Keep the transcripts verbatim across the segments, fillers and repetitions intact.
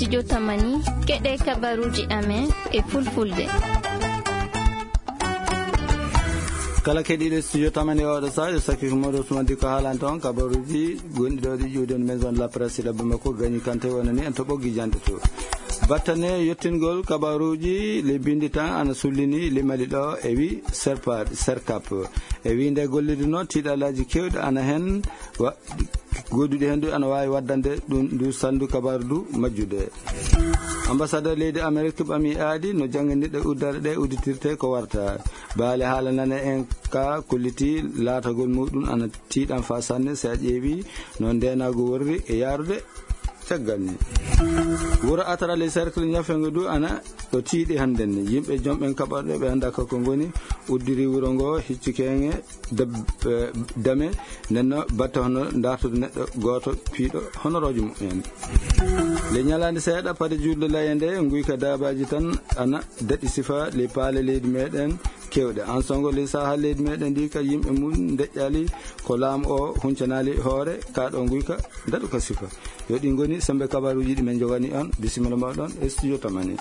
Studio Tamani, keɗe kabaruuji amen e fulfulde. Kala keɗiiɗo Studio Tamani e oɗo saha, yo sakki ko Modou Ousmane Dicko haalanta on kabaruuji gonɗi ɗo ɗi ƴuwdi on Maison de la Presse e ɗabbe makko Gagny Kanté wonani en to ɓoggi jannde to. Battane yottingol kabaruuji le bindi tan ana sullini le Mali ɗo e wi serpa, serkap. E wi nde gollirde no tiiɗalaaji kewɗi ana hen wa-, goduɗi hen du ana waawi waddande ɗum ndu salndu kabaru du majjude. Ambassadeur leydi Amerique ɓami aadi no jannginirɗe uddare ɗe udditirte ko warta. Baale haala nane en ka kolliti laatagol muɗum ana tiiɗan fa sanne si a ƴeewi no ndenagu worri e yaarude caggal ni. Wuro Atara le Cercle ñafengo du ana ɗo tiiɗi hannden ni. Yimɓe jom ɓen kaɓorɗe ɓe annda ko ko ngoni uddiri wuro ngo hicci keŋe dab-, eh, dame nenno batte hono dartude neɗɗo gooto piiɗo honoroojo mumen. Le ñalaande seeɗa pade juulde laye nde nguyka daabaaji tan ana daɗi sifa le paale leydi meɗen kewɗe. An songo le saha leydi meɗen ndi ka yimɓe mum ndeƴƴali ko laamu o huncanaali hoore ka ɗo nguyka daɗu ka sifa. Yo ɗi ngoni sembe kabaruuji ɗi men jogani on. Bisimilla mawɗon e Studio Tamani.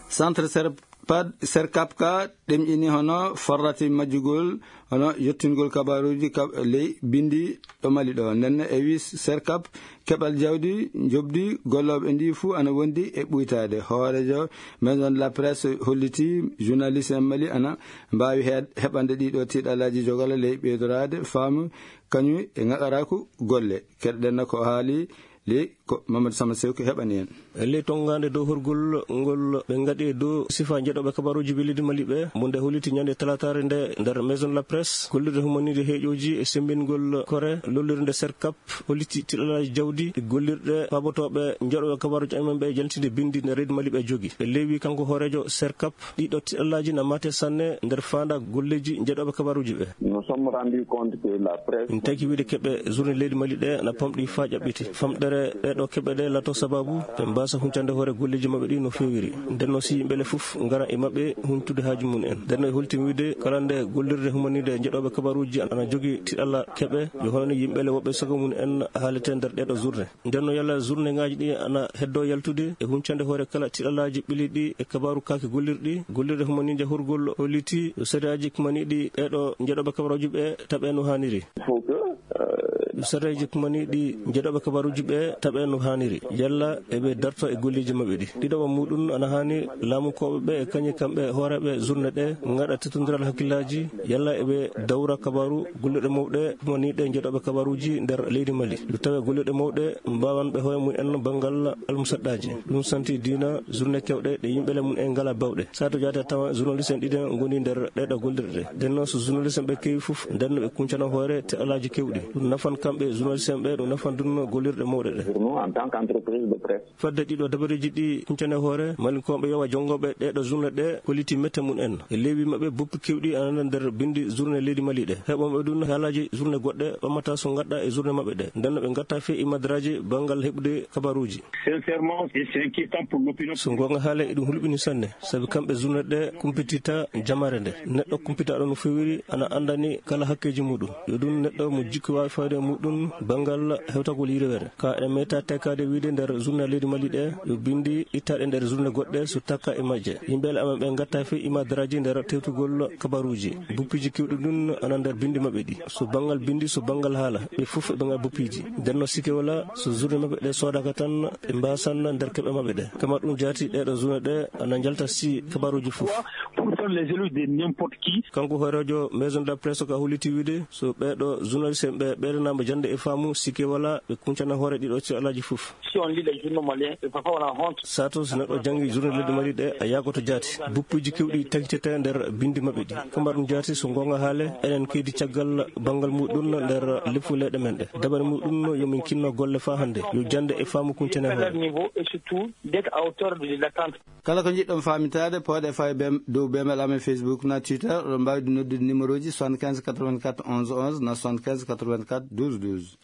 Centre Serpad, Serkap ka ɗemƴini hono farrati majjugol, hono yottingol kabaruuji ka ley bindi ɗo Mali ɗo. Nden e wi Serkap keɓal jawdi, njoɓdi gollooɓe ndi fuu ana wondi e ɓuytaade. Hooreejo Maison de la Presse holliti journaliste en Mali ana mbaawi he-, heɓande ɗiɗo tiiɗalaaji jogala ley ɓeydoraade faamu kañum e ŋaɓaraaku golle. Keɗoɗen no ko haali ley ko Mamadou Sama Sew ko heɓani en. E ley tonngaande dow horgol ngol ɓe ngaɗi e dow sifa njeɗooɓe kabaruuji ɓe leydi Mali ɓe, mo nde holliti ñande talataare nde nder Maison de la Presse, gollirde humaniiɗe heeƴooji e semmbingol kore lollirde Serkap, holliti tiiɗalaaji jawdi e gollirɗe paabotooɓe njeɗooɓe kabaruuji amen ɓe jaltinde binndi nder leydi Mali ɓe jogi. E leewi kanko hooreejo Serkap, ɗiɗo tiiɗalaaji na mate sanne nder faanda golleeji njeɗooɓe kabaruuji ɓe. Nous sommes rendus compte que la presse. Min taki wiide keɓe journée leydi Mali ɗe na pamɗi faa ƴaɓɓiti. Famɗere ɗeɗo keɓe ɗe lato sababu ɓe mbasa huncande hoore golleeji maɓɓe ɗi no feewiri. Nden no si yimɓe le fof ngara e maɓɓe huncude haaju mum en. Nden no e holtimi wiide kala nde gollirde humaniiɗe njeɗooɓe kabaruuji ana jogi tiiɗalla keɓe, yo hono ni yimɓe le woɓɓe sago mum en haalete nder ɗeɗo journée. Nden no yalla journée ŋaaji ɗi ana heddo yaltude e huncande hoore kala tiiɗallaaji ɓiliiɗi e kabaaru kaake gollirɗi, gollirɗe humaniije horgol holliti yo sariyaaji kumaniiɗi ɓeeɗo njeɗooɓe kabaruuji ɓe taɓe no haaniri. Il faut que, euh, yo sariyaaji kumaniiɗi njeɗooɓe kabaruuji ɓe taɓe no haaniri. Yalla eɓe darto e golleeji maɓɓe ɗi. Ɗiɗaɓa muɗum ana haani laamunkooɓe ɓe e kañum kamɓe hooreeɓe journée ɗe ngaɗa tettondiral hakkillaaji, yalla eɓe dawra kabaaru gollirɗe mawɗe, woni ɗe njeɗooɓe kabaaruuji nder leydi Mali. Ɗum tawa gollirɗe mawɗe mbaawan ɓe hoore mum en banngal almusaɗɗaaji. Ɗum santi diina journée kewɗe ɗe yimɓe le mum en ngala bawɗe. Sato jaata tawa journaliste en ɗiɗen ngoni nder ɗeɗo gollirɗe. Nden noon so journaliste en ɓe kewi fof, nden no ɓe kuncana hoore te alaaji kewɗi. Ɗum nafan kamɓe journaliste en ɓe, ɗum nafan ɗum gollirɗe mawɗe ɗe. Pour nous, en tant qu'entreprise de presse. Fadde ɗiɗo dabareeji ɗi kuncane hoore, Malinkooɓe yowa jonngoɓe ɗeɗo journée ɗe, kolliti mette mum en. E leewi maɓɓe, boppi kewɗi ana nder binndi journée leydi Mali ɗe. Heɓoɓe ɗum haalaaji journée goɗɗe ɓammata so ngaɗɗa e journée maɓɓe ɗe. Nden no ɓe ngatta fee imadraaji banngal heɓude kabaruuji. Sincèrement, c'est inquiétant pour l'opinion. So goonga haala, eɗum hulɓini sanne, sabi kamɓe journée ɗe kumpitita jamaare nde. Neɗɗo kumpitaaɗo no feewiri ana anndani kala hakkeeji muɗum. Yo ɗum neɗɗo mo jikku waawi fayde e muɗum banngal hewtagol yirwere. Ka eɗen meta tekkaade wiide nder journée leydi Mali ɗe, yo binndi ittaaɗe nder journée goɗɗe so takka e majje. Yimɓe le amen ɓe ngatta fee imadraaji nder tewtugol kabaruuji. Buppiiji kewɗi ɗum ana nder binndi maɓɓe ɗi. So banngal binndi, so banngal haala, ɓe fof ɓe ngal buppiiji. Nden no sikke wala so journée maɓɓe ɗe soodaka tan, ɓe mbasan nder keɓe maɓɓe ɗe. Kama ɗum jaati ɗeɗo journée ɗe ana njalta si kabaruuji fof. Pour faire les éloges de n'importe qui. Kanko hooreejo Maison de la Presse ka holliti wiide, so ɓeɗo journaliste en ɓe ɓeydanama jannde e faamu, sikke wala ɓe kuncana hoore ɗiɗo tiiɗallaaji fof. Si on lit les journaux maliens, et parfois on a honte. Sato so neɗɗo janngi journée leydi Mali ɗe, a yaagoto jaati. Buppuuji kewɗi tagitete nder binndi maɓɓe ɗi. Kama ɗum jaati so goonga haale, enen keydi caggal banngal muɗum nder leppu leyɗe men ɗe. Dabare muɗum yo min kinno golle faa hannde. Yo jannde e faamu kuncane hoore. Niveau et surtout d'être à hauteur de l'attente. Kala ko njiɗɗon faamintaade, pooɗe faa e bem-, dow bemel amen Facebook na Twitter, oɗon mbaawi ɗum noddude numéro ji soixante-quinze quatre-vingt-quatre onze onze na soixante-quinze quatre-vingt-quatre douze douze.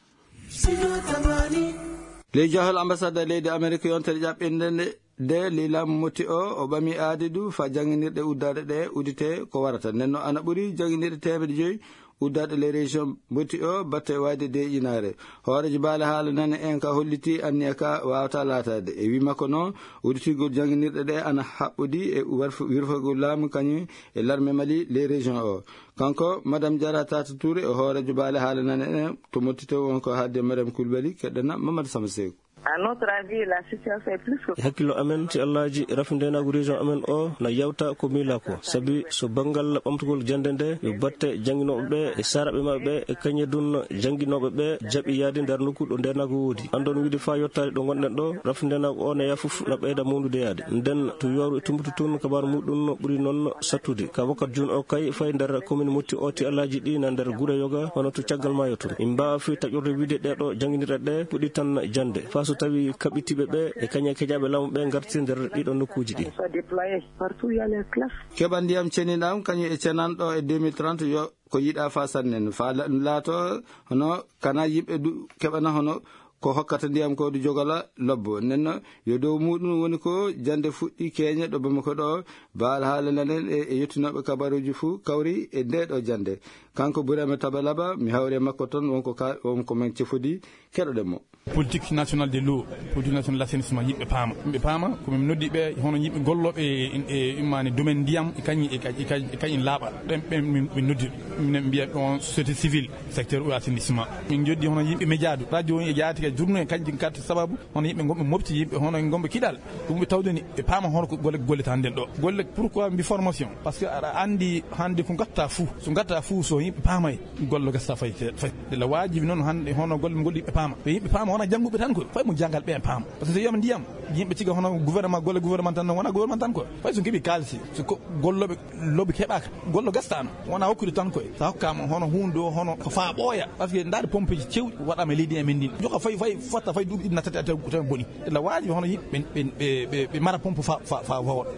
Ley jahol ambassade leydi Amerik yontere ƴaɓɓinde nde, de ley laamu motti o, o ɓami aadi du faa jannginirɗe uddare ɗe udite ko warata. Nden no ana ɓuri jannginirɗe teemedde joyi uddaaɗo les régions mbotti o batte wayde deeƴinaare. Hooreejo baale haala nane en ka holliti anniya ka waawata laataade. E wii makko noon, udditingol jannginirɗe ɗe ana haɓɓodi e warf-, wirfagol laamu kañum e larme Mali les régions o. Kanko, Madame Diarra Tata Touré, o hooreejo baale haala nane en to Mottito, won ko haalde Mariam Koulibaly, keɗɗana Mamadou Sama Seeku. À notre avis, la situation est plus que E hakkillo amen, si Allaaji rafi ndeenaagu région amen o na yawta ko miila ko. Sabi so banngal ɓamtugol jannde nde, yo batte jannginooɓe ɓe e saaraaɓe maɓɓe ɓe e kañe dun jannginooɓe ɓe jaɓi yaade nder nokku ɗo ndeenaagu woodi. Anndon wiide faa yottaade ɗo ngonɗen ɗo, rafi ndeenaagu o na yaa fof na ɓeyda mawnude yaade. Nden to yooru e tumbutu tun, kabaaru muɗum ɓuri noon sattude. Ka wakkat jun o kay fay nder commune Motti o ti Allaaji ɗi na nder gure yoga, hono to caggal maayo tun. Min mbaawa fii taƴorde wiide ɗee ɗo jannginirɗe ɗe puɗɗi tan jannde. Faa so tawi kaɓitiiɓe ɓe e kañe kejaaɓe laamu ɓe ngarti nder ɗiɗo nokkuuji ɗi. Soit déployé partout, il y a les classes. Keɓa ndiyam ceniɗam kañum e cenanɗo e deux mille trente yo ko yiɗa faa sannen. Faa la-, laato hono kana yimɓe du keɓana hono ko hokkata ndiyam ko du jogala lobbo. Nenno yo dow muɗum woni ko jannde fuɗɗi keñe ɗo Bamako ɗo. Baal haala nanen e, e yettinooɓe kabaruuji fuu kawri e nde ɗo jannde. Kanko Burama Tabalaba, mi hawri e makko toon, wonko ka, wonko men cefodi, keɗoɗen mo. Politique nationale de l'eau, politique nationale de l'assainissement, yimɓe paama. Yimɓe paama, ko min noddi ɓe, hono yimɓe gollooɓe e, e, e, immaani domaine ndiyam, e kañum, e ka-, e ka-, e kañum laaɓa. Ɓen, ɓen min, min noddi. Minen mbiya ɗon société civile, secteur eau assainissement. Min joddi hono yimɓe média du, radio e jaati ka journée, kañum kadi sababu, hono yimɓe gonɓe mofti, yimɓe hono gonɓe kiɗal. Ɗum ɓe tawde ni, ɓe paama hono ko golle, golle tan nden ɗo. Golle, pourquoi mbi formation? Parce que aɗa anndi hannde ko ngatta fuu. So ngatta fuu, so yimɓe paamay, golle gasa fay, fay. Ela waajibi noon hannde hono golle mo golli ɓe paama. Ɓe yimɓe paama wona jannguɓe tan koy. Fay mo janngal ɓe paama. Parce que so yiyama ndiyam, yimɓe ciga hono gouvernement, golle gouvernement tan, wona gouvernement tan koy. Fay so keɓi kaalisi, so ko gollooɓe lobby keɓaaka, golle gastano. Wona hokkude tan koy. Sa hokkama hono hunde o, hono ko faa ɓooya. Parce que ndaade pompeji cewɗi waɗama e leydi amen ndin. Joka fay, fay, fotta fay duuɓi ɗiɗi nattata taw, taw boni. Ela waajibi hono yimɓe ɓe, ɓe, ɓe, ɓe mara pompe fa, fa, fa, fa woɗa.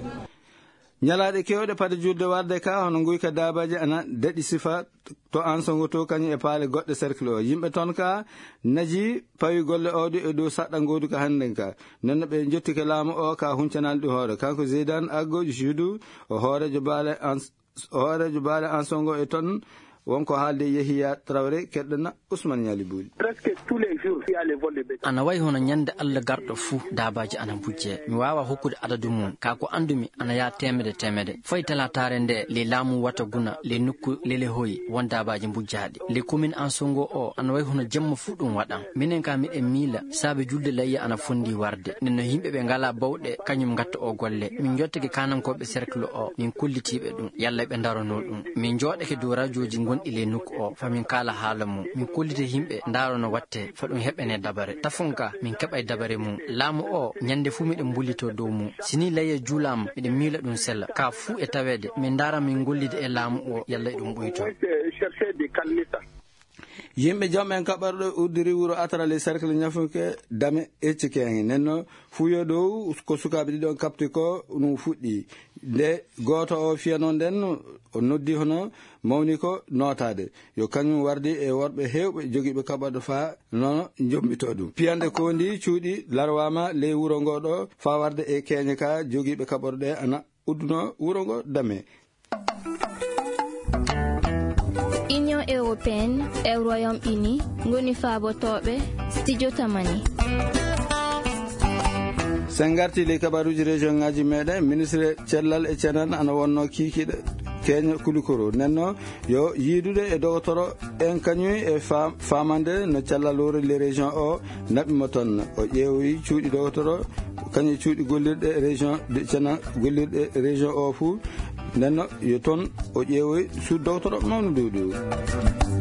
Ñalaaɗe keewɗe pade julde warde ka, hono nguyka daabaaji ana daɗi sifa to Ansongo to, kañum e paale goɗɗe cercle o. Yimɓe toon ka naji pawi golle oɗo e dow saɗɗa ngoodu ka hannden ka. Nden no ɓe njottike laamu o ka huncanaali ɗi hoore. Kanko Zeydan Aggo Judu, o hooreejo baale Ans-, o hooreejo baale Ansongo e toon, wonko haalde Yehiya Traoré, keɗɗana Ousmane Ñaali Buuli. Presque tous les jours, il y a les vols de bétail. Ana wayi hono ñande Alla garɗo fuu, daabaaji ana mbujjee. Mi waawaa hokkude adadu mum. Kaa ko anndumi, ana yaa teemede teemede. Fay talaataare nde, ley laamu wata guna, ley nokku lele hoyi, won daabaaji mbujjaaɗi. Ley commune Ansongo o, ana wayi hono jemma fuu ɗum waɗan. Minen kaa miɗen miila, saabe julde layya ana fondii warde. Nden no yimɓe ɓe ngalaa bawɗe, kañum ngatta o golle. Min njottake kaanankooɓe cercle o, min kollitiiɓe ɗum. Yalla ɓe ndarono ɗum. Min njooɗake dow rajooji ngonɗi ley nokku o, fa min kaala haala mum. Min kollita yimɓe, ndaaro no watte, fa ɗum heɓene dabare. Tafon ka, min keɓay dabare mum. Laamu o, ñande fuu miɗen mbullito dow mum. Si ni layya juulaama, miɗen miila ɗum sella. Ka fuu e taweede, min ndaara min ngollida e laamu o, yalla e ɗum ɓuyto. Chercher des candidats. Yimɓe jom en kaɓɓorɗe uddiri wuro Atarali cercle Ñafunke Dame Ecci Keŋŋe. Nden no fuyo dow ko sukaaɓe ɗiɗon kaɓti ko ɗum fuɗɗi. Nde gooto o fiyano nden, o noddi hono mawni ko nootaade. Yo kañum wardi e worɓe heewɓe jogiiɓe kaɓɓorɗe faa nono jombito ɗum. Piyande koondi cuuɗi larwaama ley wuro ngo ɗo faa warde e keeñe ka jogiiɓe kaɓɓorɗe ana udduno wuro ngo Dame. Union européenne e Royaume-Uni ngoni faabotooɓe Studio Tamani. Sen ngarti ley kabaruuji région ŋaaji meɗen, ministre cellal e cenan ana wonno kiikiiɗe keeña Kulikoro. Nenno yo yiidude e dogotoro en kañum e fa-, faamande no cellal wuro le région o naɓi mo toon. O ƴeewoyi cuuɗi dogotoro, kañum cuuɗi gollirɗe région de Thiénaba, gollirɗe région o fuu. Nden no yo toon o ƴeewoyi suudu dogotoro mawnu ndu du.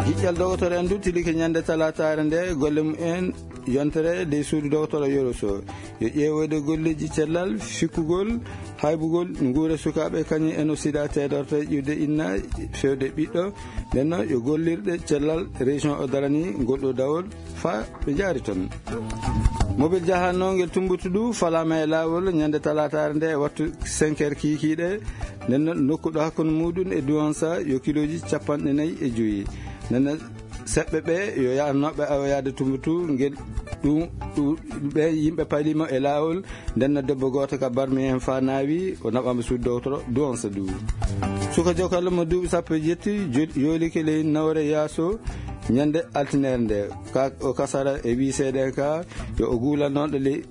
Giƴƴal dogotoro en du tilike ñande talaataare nde golle mum en yontere ley suudu dogotoro Yoro Sow. Yo ƴeewoyde golleeji cellal, fikkugol, haybugol nguure sukaaɓe kañum en o sida teedorte ƴiwde inna fewde ɓiɗɗo. Nden no yo gollirɗe cellal région o darani ngol ɗo dawol. Fa ɓe njaari toon. Mobil jahanno ngel Tumbutu du falaama e laawol ñande talaataare nde e wattu cinq heures kiikiiɗe. Nden no nokku ɗo hakkunde muɗum e Duwansa yo kilooji capanɗe nayi e joyi. Nden no seɓɓe ɓe yo yahnooɓe awoyaade Tumbutu ngel Ɗum, ɗum, ɓe yimɓe paliima e laawol. Nden no debbo gooto ka barmi en faa naawi, o naɓaama suudu dowtoro duwansa du. Suka jokallo mo duuɓi sappo e jetti jo- yoolike ley nawre yaaso ñande altinere nde. Ka o kasara e wiiseede en ka yo o guula noon ɗo ley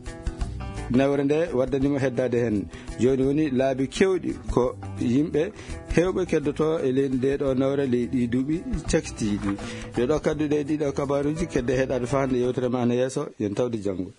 nawre nde waddani mo heddaade heen. Jooni woni laabi keewɗi ko yimɓe heewɓe keddotoo e ley ndee ɗoo nawre ley ɗii duuɓi cakitiiɗi. Ɗee ɗoo kadduɗe e ɗii ɗoo kabaaruuji kedde heɗaade faa hannde yewtere ma ana yeeso, yen tawde janngo.